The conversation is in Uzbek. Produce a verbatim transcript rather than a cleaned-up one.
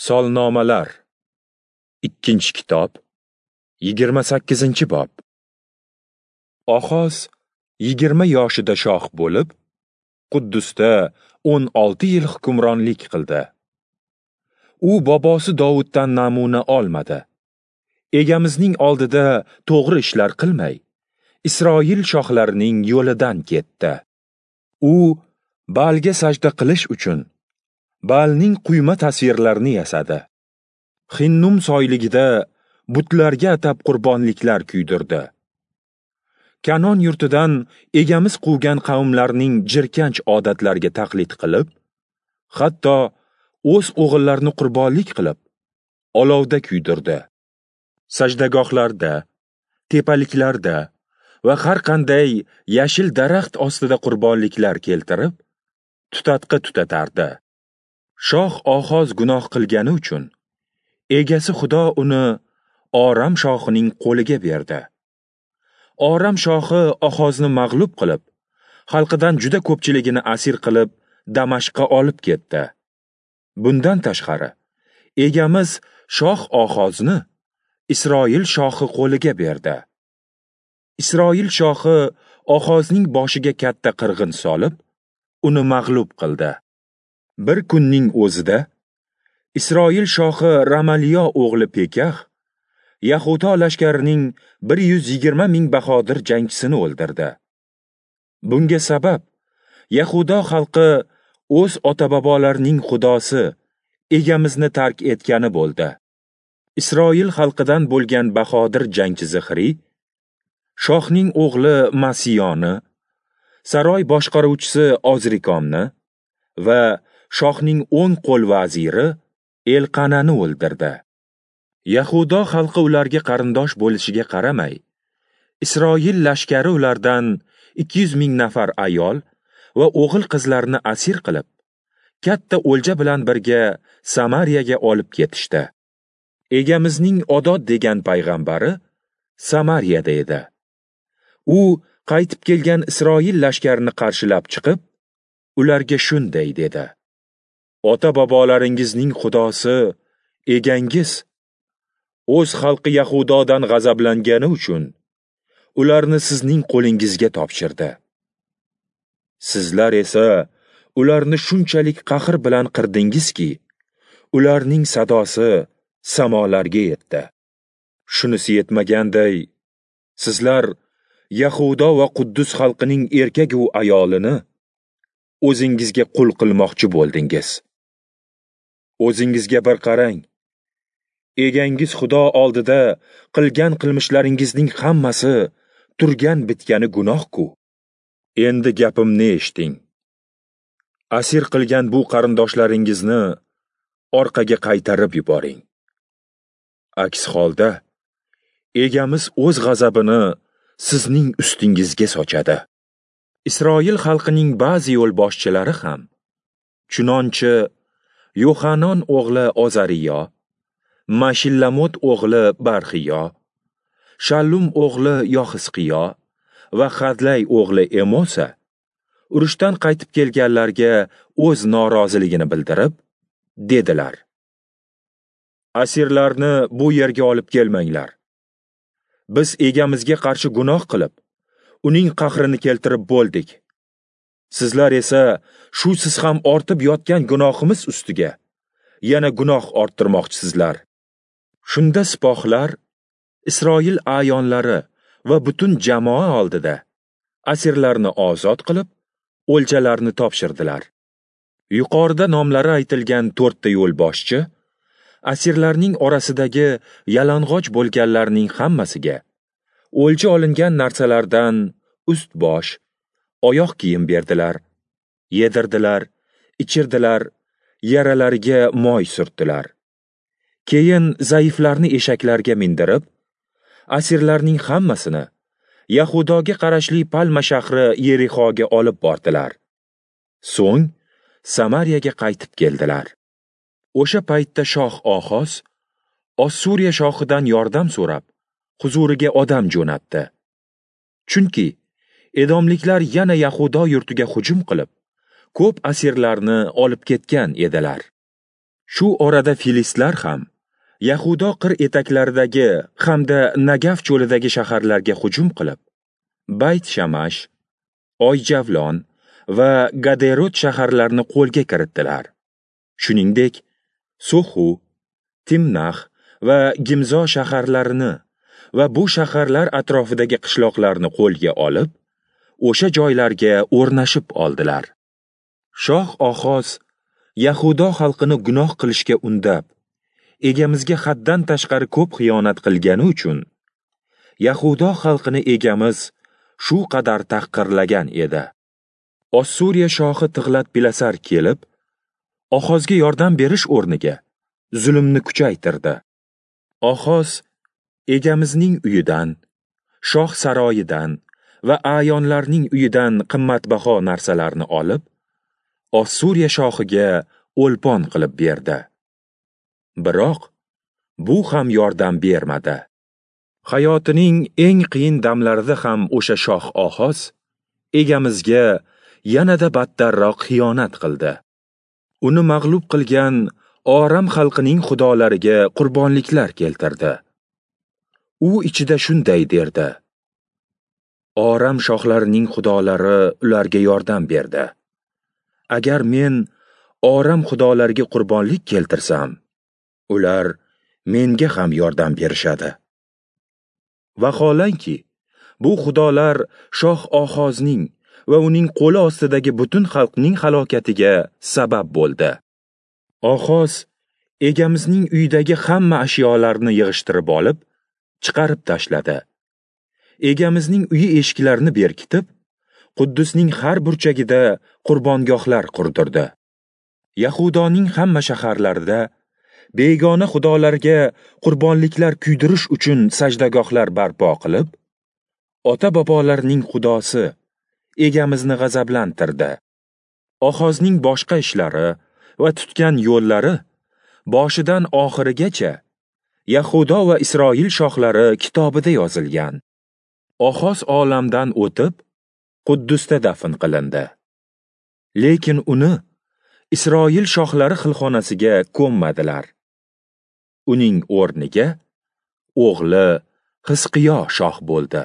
Solnomalar, ikkinchi kitob, yigirma sakkizinchi bob. Oxoz yigirma yoshida shoh bo'lib, Quddusda o'n olti yil hukmronlik qildi. U bobosi Dovuddan namuna olmadi. Egamizning oldida to'g'ri ishlar qilmay, Isroil shohlarining yo'lidan ketdi. U Baalga sajda qilish uchun Baalning quyma tasvirlarini yasadi. Hinnum soyligida butlarga atab qurbonliklar kuydirdi. Kanon yurtidan egamiz quvgan qavmlarning jirkanch odatlariga taqlid qilib, hatto o'z o'g'illarini qurbonlik qilib, olovda kuydirdi. Sajdagohlarda, tepaliklarda va har qanday yashil daraxt ostida qurbonliklar keltirib, tutatqi tutatardi. Shoh Oxoz gunoh qilgani uchun egasi Xudo uni Oram shohining qo'liga berdi. Oram shohi Oxozni mag'lub qilib, xalqidan juda ko'pchiligini asir qilib, Damashqqa olib ketdi. Bundan tashqari, egamiz shoh Oxozni Isroil shohi qo'liga berdi. Isroil shohi Oxozning boshiga katta qirg'in solib, uni mag'lub qildi. Bir kunning o'zida Isroil shohi Ramaliyo o'g'li Pekax Yahudo lashkarining bir yuz yigirma ming bahodir jangchisini o'ldirdi. Bunga sabab Yahudo xalqi o'z ota-bobolarining xudosi egamizni tark etgani bo'ldi. Isroil xalqidan bo'lgan bahodir jangchi Zixri shohning o'g'li Masiyoni, saroy boshqaruvchisi Ozrikomni va shohning o'ng qo'l vaziri Elqanani o'ldirdi. Yahudo xalqi ularga qarindosh bo'lishiga qaramay, Isroil lashkari ulardan ikki yuz ming nafar ayol va o'g'il qizlarni asir qilib, katta o'lja bilan birga Samariyaga olib ketishdi. Egamizning Odod degan payg'ambari Samariyada edi. U qaytib kelgan Isroil lashkarini qarshilab chiqib, ularga shunday dedi: Ota-bobolaringizning xudosi egangiz o'z xalqi Yahudodan g'azablangani uchun ularni sizning qo'lingizga topshirdi. Sizlar esa ularni shunchalik qahr bilan qirdingizki, ularning sadosi samolarga yetdi. Shunisi yetmaganday, sizlar Yahudo va Quddus xalqining erkak va ayolini o'zingizga qul qilmoqchi bo'ldingiz. O'zingizga bir qarang. Egangiz Xudo oldida qilgan qilmishlaringizning hammasi turgan bitgani gunoh-ku. Endi gapimni eshiting. Asir qilgan bu qarindoshlaringizni orqaga qaytarib yuboring. Aks holda egamiz o'z g'azabini sizning ustingizga sochadi. Isroil xalqining ba'zi yo'lboshchilari ham, chunonchi Yohanon o'g'li Ozariyo, Mashillamot o'g'li Barxiyo, Shallum o'g'li Yoxisqiyo va Hadlay o'g'li Emosa urushdan qaytib kelganlarga o'z noroziligini bildirib, dedilar: Asirlarni bu yerga olib kelmanglar. Biz egamizga qarshi gunoh qilib, uning qahrini keltirib bo'ldik. Sizlar esa shu siz ham ortib yotgan gunohimiz ustiga yana gunoh orttirmoqchisizlar. Shunda sipohlar Isroil a'yonlari va butun jamoa oldida asirlarni ozod qilib, o'ljalarni topshirdilar. Yuqorida nomlari aytilgan to'rtta yo'lboshchi asirlarning orasidagi yalang'och bo'lganlarning hammasiga o'lja olingan narsalardan ust-bosh, oyoq kiyim berdilar, yedirdilar, ichirdilar, yaralariga moy surtdilar. Keyin zaiflarni eshaklarga mindirib, asirlarning hammasini Yahudoga qarashli Palma shahri Yerixoga olib bordilar. So'ng Samariyaga qaytib keldilar. O'sha paytda shoh Oxoz Ossuriya shohidan yordam so'rab, huzuriga odam jo'natdi. Chunki edomliklar yana Yahudo yurtiga hujum qilib, ko'p asirlarni olib ketgan edilar. Shu orada filistlar ham Yahudo qir etaklaridagi hamda Nagav cho'lidagi shaharlarga hujum qilib, Bayt Shamash, Oyjavlon va Gaderot shaharlarini qo'lga kiritdilar. Shuningdek, So'xu, Timnax va Gimzo shaharlarini va bu shaharlar atrofidagi qishloqlarni qo'lga olib, o'sha joylarga o'rnashib oldilar. Shoh Oxoz Yahudo xalqini gunoh qilishga undab, Egamizga haddan tashqari ko'p xiyonat qilgani uchun Yahudo xalqini Egamiz shu qadar tahqirlagan edi. Ossuriya shohi Tig'lat-Pilasar kelib, Oxozga yordam berish o'rniga zulmni kuchaytirdi. Oxoz Egamizning uyidan, shoh saroyidan va a'yonlarning uyidan qimmatbaho narsalarni olib, Ossuriya shohiga o'lpon qilib berdi. Biroq bu ham yordam bermadi. Hayotining eng qiyin damlarida ham o'sha shoh Oxoz Egamizga yanada battarroq xiyonat qildi. Uni mag'lub qilgan Oram xalqining xudolariga qurbonliklar keltirdi. U ichida shunday derdi: Oram shohlarining xudolari ularga yordam berdi. Agar men Oram xudolariga qurbonlik keltirsam, ular menga ham yordam berishadi. Vaholanki, bu xudolar shoh Oxozning va uning qo'li ostidagi butun xalqning halokatiga sabab bo'ldi. Oxoz Egamizning uyidagi hamma ashyolarni yig'ishtirib olib, chiqarib tashladi. Egamizning uyi eshiklarini berkitib, Quddusning har burchagida qurbongohlar qurdirdi. Yahudoning hamma shaharlarida begona xudolarga qurbonliklar kuydirish uchun sajdagohlar barpo qilib, ota-bobolarining xudosi Egamizni g'azablantirdi. Oxozning boshqa ishlari va tutgan yo'llari boshidan oxirigacha Yahudo va Isroil shohlari kitobida yozilgan. Oxoz olamdan o'tib, Quddusda dafn qilindi. Lekin uni Isroil shohlari xilxonasiga ko'mmadilar. Uning o'rniga o'g'li Hizqiyo shoh bo'ldi.